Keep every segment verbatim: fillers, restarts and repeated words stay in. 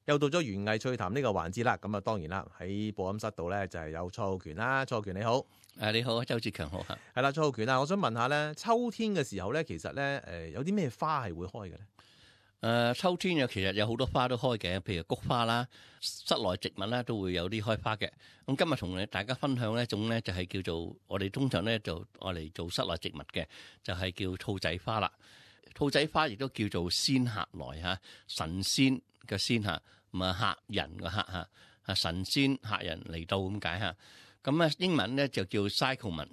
又到咗園藝趣談呢個環節啦，咁啊當然啦，喺播音室度咧就係有蔡浩權啦，蔡浩權你好。誒你好，周志強好嚇。係啦，蔡浩權啊，我想問下咧，秋天嘅時候咧，其實咧誒有啲咩花係會開嘅咧？誒、呃、秋天有其實有好多花都開嘅，譬如菊花啦，室內植物啦都會有啲開花嘅。咁今日同大家分享呢一種咧就係叫做我哋通常咧就愛嚟做室內植物嘅，就係、是、叫兔仔花啦。兔仔花亦都叫做仙客來嚇，神仙嘅仙嚇，唔係客人嘅客嚇，啊神仙客人嚟到咁解嚇。咁咧英文咧就叫 cyclamen。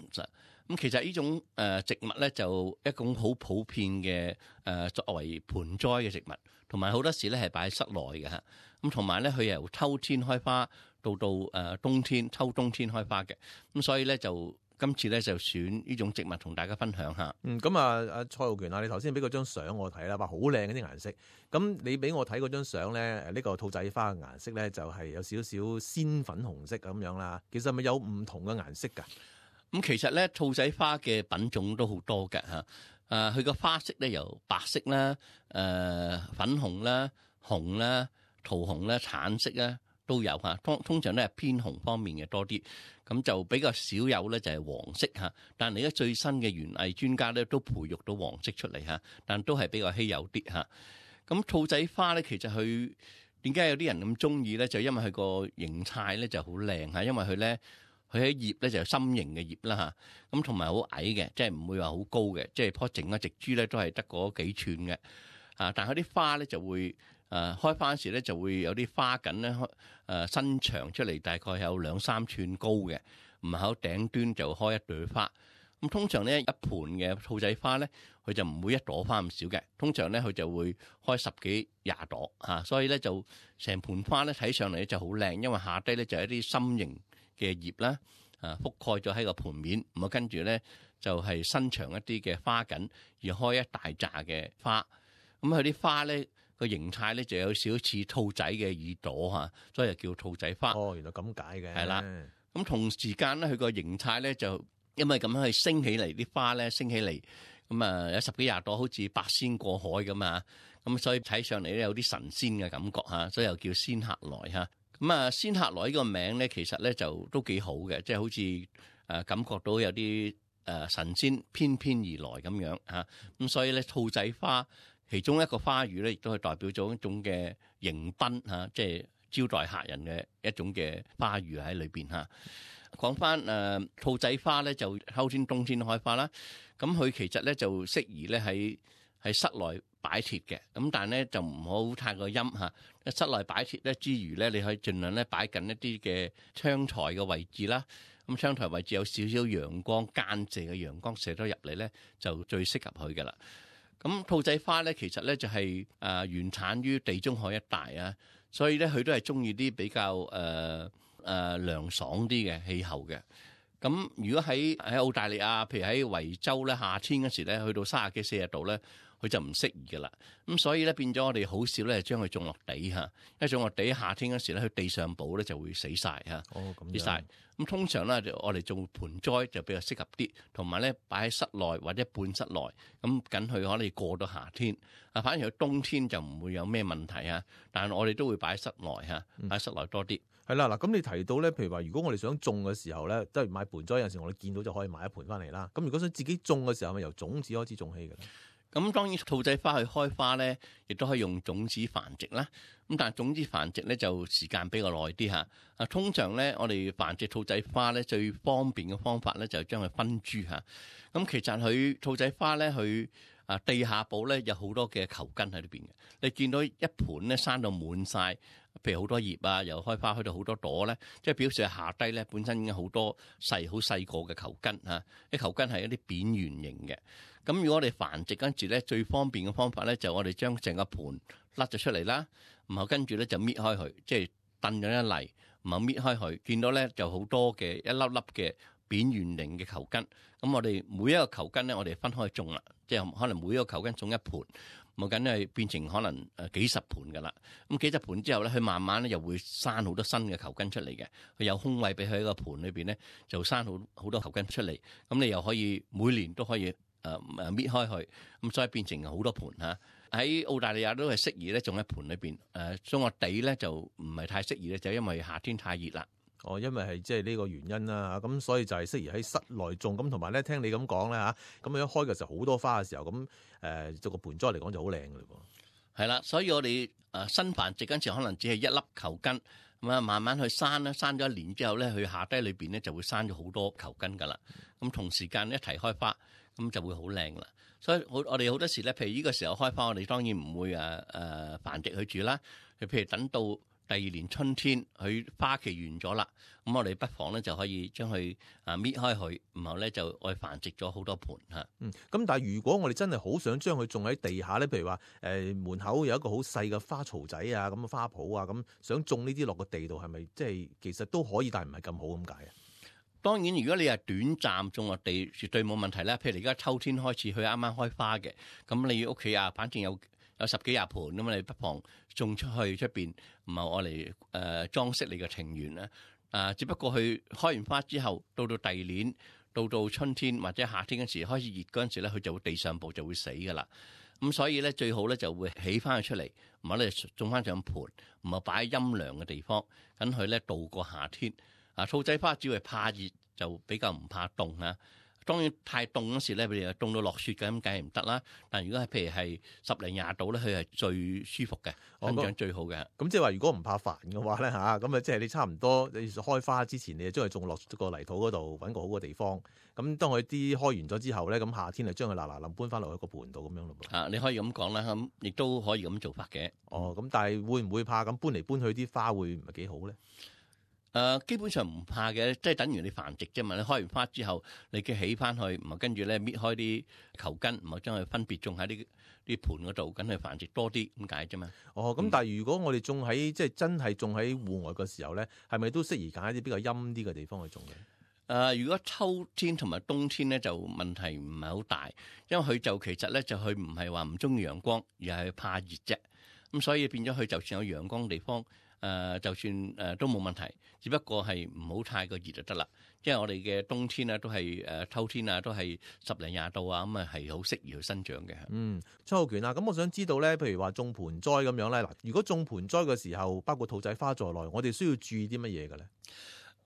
咁其實呢種誒植物咧就一種好普遍嘅誒作為盆栽嘅植物，同埋好多時咧係擺喺室內嘅嚇。咁同埋咧佢由秋天開花到到誒冬天秋冬天開花嘅。咁所以咧就今次咧就選呢種植物同大家分享下。嗯，咁啊，阿蔡浩權啊，你頭先俾嗰張相我睇啦，話好靚嗰啲顏色。咁你俾我睇嗰張相咧，誒、這、呢個兔仔花嘅顏色咧就係有少少鮮粉紅色咁樣啦。其實係咪有唔同嘅顏色㗎？咁其實咧兔仔花嘅品種都好多㗎嚇。誒佢個花色咧由白色啦、誒、呃、粉紅啦、紅啦、桃紅啦、橙色啦，都有嚇，通通常咧係偏紅方面嘅多啲，咁就比較少有咧就係黃色嚇。但係而家最新嘅園藝專家咧都培育到黃色出嚟嚇，但都係比較稀有啲嚇。咁兔仔花咧其實佢點解有啲人咁中意咧？就因為佢個形態咧就好靚嚇，因為佢咧佢喺葉咧就心形嘅葉啦嚇，咁同埋好矮嘅，即係唔會話好高嘅，即係棵整嘅植株咧都係得嗰幾寸嘅啊。但係佢啲花咧就會誒、呃、開花時咧就會有啲花緊咧誒伸長出嚟，大概有兩三寸高嘅，唔係喺頂端就開一朵花。咁通常咧一盆嘅兔仔花咧，佢就唔會一朵花咁少嘅，通常咧佢就會開十幾廿朵嚇、啊，所以咧就成盆花咧睇上嚟咧就好靚，因為下低咧就係一啲心形嘅葉啦，啊覆蓋咗喺個盆面，咁啊跟住咧就係、是、伸長一啲嘅花緊，而開一大紮嘅花。咁佢啲花咧個形態咧就有少少似兔仔嘅耳朵嚇，所以就叫兔仔花。哦，原來咁解嘅。係啦，咁同時間咧佢個形態咧就因為咁樣去升起嚟，啲花咧升起嚟，咁啊有十幾廿朵好似八仙過海咁啊，咁所以睇上嚟咧有啲神仙嘅感覺嚇，所以又叫仙客來嚇。咁啊，仙客來呢個名咧，其實咧就都幾好嘅，即係好似誒感覺到有啲誒神仙翩翩而來咁樣嚇。咁所以咧，兔仔花其中一個花語咧，亦都係代表咗一種嘅迎賓嚇，即係招待客人嘅一種嘅花語喺裏邊嚇。講翻誒兔仔花咧，就秋天、冬天開花啦。咁佢其實咧就適宜咧喺喺室內擺設嘅，咁但係咧就唔好太過陰嚇。室內擺設咧之餘咧，你可以盡量咧擺緊一啲嘅窗台嘅位置啦。咁窗台位置有少少陽光，間射嘅陽光射咗入嚟咧，就最適合佢嘅啦。咁兔仔花咧，其實咧就係誒原產於地中海一帶啊，所以咧佢都係中意啲比較誒誒涼爽啲嘅氣候嘅。咁如果喺喺澳大利亞，譬如喺維州咧，夏天嗰時咧，去到三十幾四十度咧，佢就唔適宜噶啦。咁所以咧變咗我哋好少咧將佢種落地嚇，因為種落地夏天嗰時咧，佢地上寶咧就會死晒嚇，哦咁死晒。咁通常咧就我哋種盆栽就比較適合啲，同埋咧擺喺室內或者半室內，咁緊佢可以過到夏天。啊，反而佢冬天就唔會有咩問題啊。但係我哋都會擺喺室內嚇，擺喺室內多啲。係啦，嗱，咁你提到咧，譬如話，如果我哋想種嘅時候咧，即係買盆栽，有陣時我哋見到就可以買一盆翻嚟啦。咁如果想自己種嘅時候，咪由種子開始種起嘅咧？咁當然兔仔花去開花咧，亦都可以用種子繁殖啦。咁但係種子繁殖咧就時間比較耐啲嚇。啊，通常咧我哋繁殖兔仔花咧最方便嘅方法咧就係將佢分株嚇。咁其實佢兔仔花咧佢啊地下部咧有好多嘅球根喺裏邊嘅。你見到一盤咧生到滿晒，譬如好多葉啊，由開花去到好多朵咧，即係表示下低咧本身已經好多細好細個嘅球根嚇。啲球根係一啲扁圓形嘅。咁如果我哋繁殖跟住咧，最方便嘅方法咧就我哋將成個盤甩咗出嚟啦，然後跟住咧就搣開佢，即係燉咗一嚟，然後搣開佢，見到咧就好多嘅一粒粒嘅扁圓形嘅球根。咁我哋每一個球根咧，我哋分開種啦，即係可能每一個球根種一盤，冇緊係變成可能誒幾十盤噶啦。咁幾十盤之後咧，佢慢慢咧又會生好多新嘅球根出嚟嘅。佢有空位俾佢喺個盤裏邊咧，就生好好多球根出嚟。咁你又可以每年都可以。誒誒搣開佢，咁所以變成好多盤嚇。喺澳大利亞都係適宜咧種喺盆裏邊，誒種個地咧就唔係太適宜咧，就因為夏天太熱啦。哦，因為係即係呢個原因啦，咁所以就係適宜喺室內種。咁同埋咧，聽你咁講咧嚇，咁樣一開嘅時候好多花嘅時候，咁誒做個盆栽嚟講就好靚嘅嘞噃。係啦，所以我哋誒新繁殖嗰陣時，可能只係一粒球根，咁啊慢慢去生啦，生咗一年之後咧，佢下低裏邊咧就會生咗好多球根噶啦。咁同時間一齊開花，咁就會好靚啦。所以好我哋好多時咧，譬如呢個時候開花，我哋當然唔會誒誒繁殖佢住啦。譬如等到第二年春天，佢花期完咗啦，咁我哋不妨咧就可以將佢啊搣開佢，然後咧就愛繁殖咗好多盆嚇。嗯，咁但係如果我哋真係好想將佢種喺地下咧，譬如話誒、呃、門口有一個好細嘅花槽仔啊，咁嘅花圃啊，咁想種呢啲落個地度，係咪即係其實都可以，但係唔係咁好咁解啊？當然，如果你係短暫種落地，絕對冇問題啦。譬如你而家秋天開始，佢啱啱開花嘅，咁你屋企啊，反正有有十幾廿盆咁，你不妨種出去出邊，唔係我嚟誒裝飾你嘅庭園啦。啊，只不過佢開完花之後，到到第二年，到到春天或者夏天嗰時開始熱嗰陣時咧，佢就會地上部就會死噶啦。咁所以咧，最好咧就會起翻佢出嚟，唔好咧種翻上盆，唔係擺喺陰涼嘅地方，等佢咧度過夏天。啊，兔仔花只係怕熱，就比較唔怕凍啊。當然太凍嗰時咧，譬如凍到落雪嘅咁，梗係唔得啦。但如果係譬如係十零廿度咧，佢係最舒服嘅，生長最好嘅。咁即係話，如果唔怕煩嘅話咧嚇，咁啊即係你差唔多你開花之前，你就將佢種落個泥土嗰度，揾個好嘅地方。咁當佢啲開完咗之後咧，咁夏天就將佢嗱嗱臨搬翻落去個盆度咁樣咯噃。啊，你可以咁講啦，咁亦都可以咁做法嘅。哦，咁但係會唔會怕咁搬嚟搬去啲花會唔係幾好咧？誒、呃、基本上唔怕嘅，即係等於你繁殖啫嘛。你開完花之後，你嘅起翻去，唔係跟住咧搣開啲球根，唔係將佢分別種喺啲啲盆嗰度，咁去繁殖多啲咁解啫嘛。哦，咁但係如果我哋種喺即係真係種喺戶外嘅時候咧，係咪都適宜揀一啲比較陰啲嘅地方去種嘅？誒、呃，如果秋天同埋冬天咧，就問題唔係好大，因為佢就其實咧就佢唔係話唔中意陽光，而係怕熱啫。咁所以變咗佢就算有陽光地方。誒、呃，就算誒、呃、都冇問題，只不過係唔好太過熱就得啦。因為我哋嘅冬天啊，都係誒秋天啊，都係十零廿度啊，咁啊係好適宜去生長嘅。嗯，張浩權啊，咁我想知道咧，譬如話種盆栽咁樣咧，嗱，如果種盆栽嘅時候，包括兔仔花在內，我哋需要注意啲乜嘢嘅咧？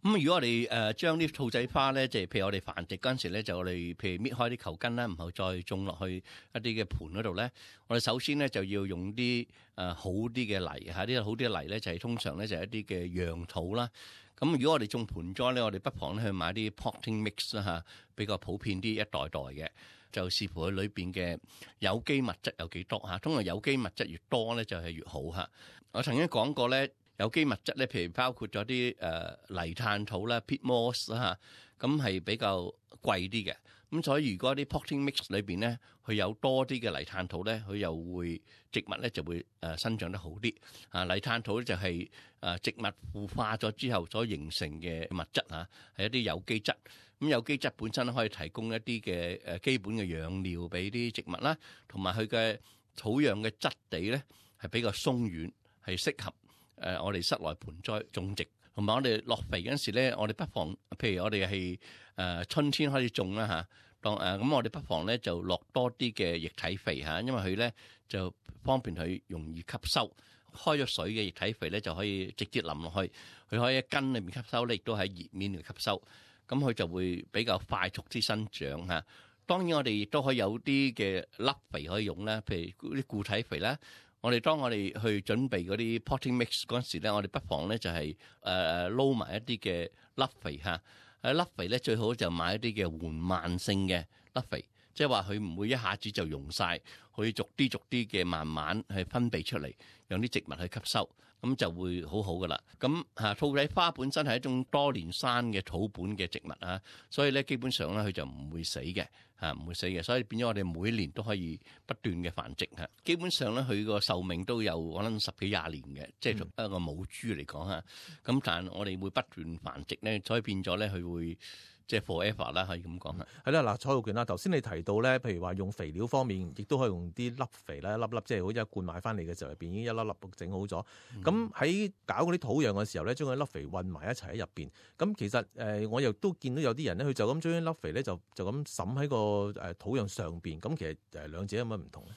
咁如果我哋誒將啲兔仔花咧，即係譬如我哋繁殖嗰陣時咧，就我哋譬如搣開啲球根啦，然後再種落去一啲嘅盆嗰度咧，我哋首先咧就要用啲誒好啲嘅泥嚇，啲好啲嘅泥咧就係通常咧就係一啲嘅羊土啦。咁如果我哋種盆栽咧，我哋不妨咧去買啲 potting mix 啦嚇，比較普遍啲一,一袋袋嘅，就視乎佢裏邊嘅有機物質有幾多嚇。通常有機物質越多咧就係越好嚇。我曾經講過咧。有機物質咧，譬如包括咗啲誒泥炭土啦 peat moss 嚇，咁係比較貴啲嘅。咁所以如果啲 potting mix 裏邊咧，佢有多啲嘅泥炭土咧，佢又會植物咧就會誒生長得好啲。啊，泥炭土咧就係誒植物腐化咗之後所形成嘅物質嚇，係一啲有機質。咁有機質本身可以提供一啲嘅誒基本嘅養料俾啲植物啦，同埋佢嘅土壤嘅質地咧係比較鬆軟，係適合。誒、呃，我哋室內盆栽種植，同埋我哋落肥嗰陣時咧，我哋不妨，譬如我哋係誒春天開始種啦嚇，當誒咁、呃、我哋不妨咧就落多啲嘅液體肥嚇，因為佢咧就方便佢容易吸收。開咗水嘅液體肥咧就可以直接淋落去，佢可以喺根裏面吸收咧，亦都喺葉面嚟吸收，咁佢就會比較快速啲生長嚇。當然我哋亦都可以有啲嘅粒肥可以用啦，譬如啲固體肥啦。我哋當我哋去準備嗰啲 potting mix 嗰陣時咧，我哋不妨咧就係誒誒撈埋一啲嘅粒肥嚇。誒粒肥咧最好就買一啲嘅緩慢性嘅粒肥，即係話佢唔會一下子就溶晒，可以逐啲逐啲嘅慢慢去分泌出嚟，讓啲植物去吸收，咁就會好好噶啦。咁嚇兔仔花本身係一種多年生嘅土本嘅植物啊，所以咧基本上咧佢就唔會死嘅。啊，唔會死嘅，所以變咗我哋每年都可以不斷嘅繁殖嚇。基本上咧，佢個壽命都有可能十幾廿年嘅，即係一個母豬嚟講嚇。咁但係我哋會不斷繁殖咧，所以變咗咧，佢會即係 forever 啦，可以咁講嚇。係啦，嗱，蔡浩權啦，頭先你提到咧，譬如話用肥料方面，亦都可以用啲粒肥啦，一粒粒即係好似一罐買翻嚟嘅時候入邊已經一粒粒整好咗。咁喺、嗯、搞嗰啲土壤嘅時候咧，將嗰粒肥混埋一齊喺入邊。咁其實誒、呃，我又都見到有啲人咧，佢就咁將啲粒肥咧就就咁揼喺個誒土壤上邊。咁其實誒兩者有乜唔同咧？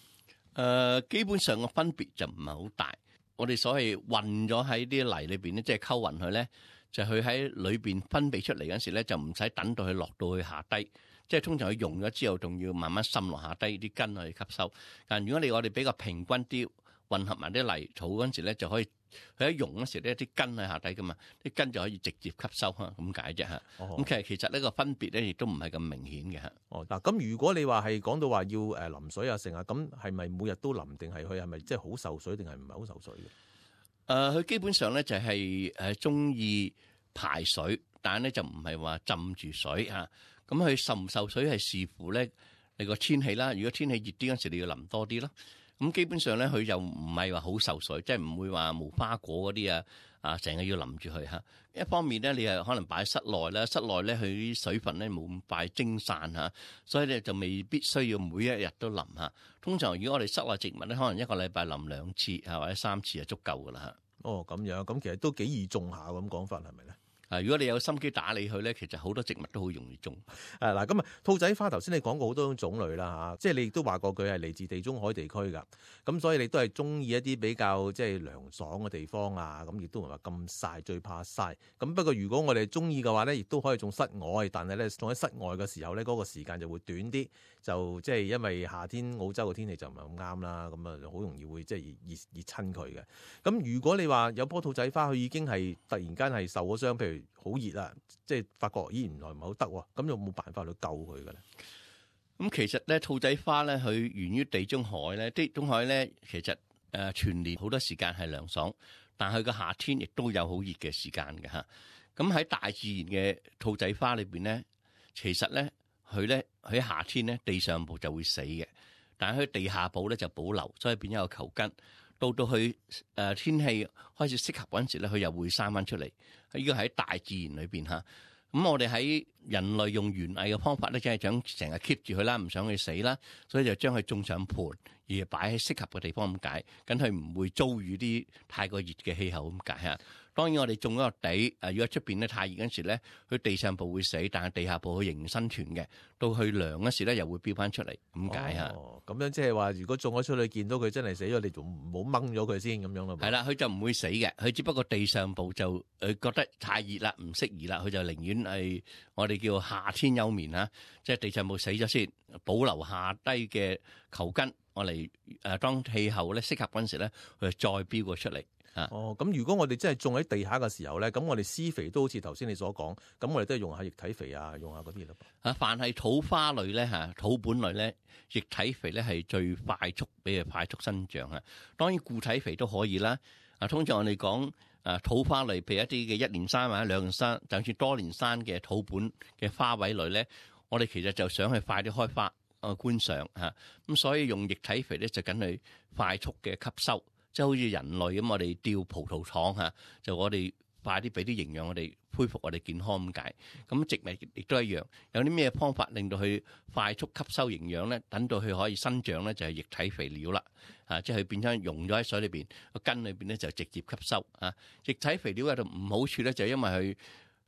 誒基本上個分別就唔係好大。我哋所謂混咗喺啲泥裏邊咧，即係溝勻佢咧，就佢喺裏邊分泌出嚟嗰時咧，就唔使等到佢落到去下低。即係通常佢溶咗之後，仲要慢慢滲落下低啲根去吸收。但如果你我哋比較平均啲混合埋啲泥土嗰陣時咧，就可以佢一溶嗰時咧，啲根喺下低噶嘛，啲根就可以直接吸收嚇，咁解啫嚇。咁、哦、其實其實呢個分別咧，亦都唔係咁明顯嘅嚇。哦，嗱，咁如果你話係講到話要誒淋水啊成啊，咁係咪每日都淋定係佢係咪即係好受水定係唔係好受水嘅？誒、呃，佢基本上咧就係誒中意排水，但係咧就唔係話浸住水嚇。咁佢受唔受水係視乎咧你個天氣啦。如果天氣熱啲嗰時，你要淋多啲咯。咁基本上咧，佢又唔係話好受水，即係唔會話無花果嗰啲啊啊，成日要淋住佢嚇。一方面咧，你係可能擺喺室內啦，室內咧佢啲水分咧冇咁快蒸散嚇，所以咧就未必需要每一日都淋嚇。通常如果我哋室內植物咧，可能一個禮拜淋兩次啊或者三次就足夠噶啦嚇。哦，咁樣咁其實都幾易種下咁講法係咪咧？啊！如果你有心機打理佢咧，其實好多植物都好容易種。誒嗱，咁啊兔仔花頭先你講過好多種種類啦嚇，即係你亦都話過佢係嚟自地中海地區㗎，咁所以你都係中意一啲比較即係涼爽嘅地方啊，咁亦都唔係話咁曬，最怕曬。咁不過如果我哋中意嘅話咧，亦都可以種室外，但係咧種喺室外嘅時候咧，嗰個時間就會短啲，就即係因為夏天澳洲嘅天氣就唔係咁啱啦，咁啊好容易會即係熱熱熱親佢嘅。咁如果你話有棵兔仔花，佢已經係突然間係受咗傷，譬如好熱啊，即係發覺咦原來唔係好得喎，咁有冇辦法去救佢嘅咧？咁其實咧兔仔花咧，佢源於地中海咧，地中海咧其實誒全年好多時間係涼爽，但係佢個夏天亦都有好熱嘅時間嘅嚇。咁喺大自然嘅兔仔花裏邊咧，其實咧佢咧喺夏天咧地上部就會死嘅，但係佢地下部咧就保留，所以變咗個球根。到到佢誒天氣開始適合嗰陣時咧，佢又會生翻出嚟。呢個喺大自然裏邊嚇。咁我哋喺人類用園藝嘅方法咧，即係想成日 keep 住佢啦，唔想佢死啦，所以就將佢種上盤，而擺喺適合嘅地方咁解，咁佢唔會遭遇啲太過熱嘅氣候咁解嚇。當然我哋種咗個地，誒如果出邊咧太熱嗰時咧，佢地上部會死，但係地下部佢仍然生存嘅。到佢涼嗰時咧，又會飆翻出嚟，咁解嚇。哦，咁樣即係話，如果種咗出去見到佢真係死咗，你仲唔好掹咗佢先咁樣咯？係啦，佢就唔會死嘅，佢只不過地上部就誒覺得太熱啦，唔適宜啦，佢就寧願係我哋叫夏天休眠嚇，即係地上部死咗先，保留下低嘅球根，我嚟誒當氣候咧適合嗰陣時咧，佢就再飆過出嚟。哦，咁如果我哋真係種喺地下嘅時候咧，咁我哋施肥都好似頭先你所講，咁我哋都係用下液體肥啊，用下嗰啲咯。啊，凡係土花類咧嚇，土本類咧，液體肥咧係最快速俾佢快速生長啊。當然固體肥都可以啦。啊，通常我哋講啊土花類，譬如一啲嘅一年生或者兩年生，就算多年生嘅土本嘅花卉類咧，我哋其實就想去快啲開花啊觀賞嚇。咁所以用液體肥咧就緊去快速嘅吸收。即係好似人類咁，我哋吊葡萄糖嚇，就我哋快啲俾啲營養，我哋恢復我哋健康咁解。咁植物亦都一樣，有啲咩方法令到佢快速吸收營養咧？等到佢可以生長咧，就係液體肥料啦。啊，即係佢變咗溶咗喺水裏邊個根裏邊咧，就直接吸收啊。液體肥料有度唔好處咧，就係因為佢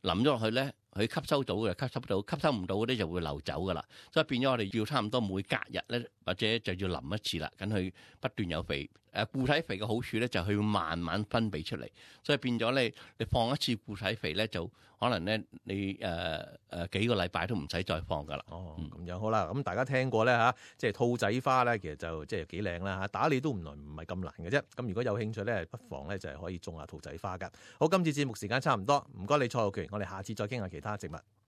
淋咗落去咧，佢吸收到嘅吸收到，吸收唔到嗰啲就會流走噶啦。所以變咗我哋要差唔多每隔日咧，或者就要淋一次啦，咁佢不斷有肥。誒固體肥嘅好處咧，就係佢會慢慢分泌出嚟，所以變咗咧，你放一次固體肥咧，就可能咧你誒誒、呃、幾個禮拜都唔使再放噶啦。哦，咁樣好啦，咁大家聽過咧嚇，即係兔仔花咧，其實就即係幾靚啦嚇，打理都唔來唔係咁難嘅啫。咁如果有興趣咧，不妨咧就係可以種下兔仔花噶。好，今次節目時間差唔多，唔該你蔡浩權，我哋下次再傾下其他植物。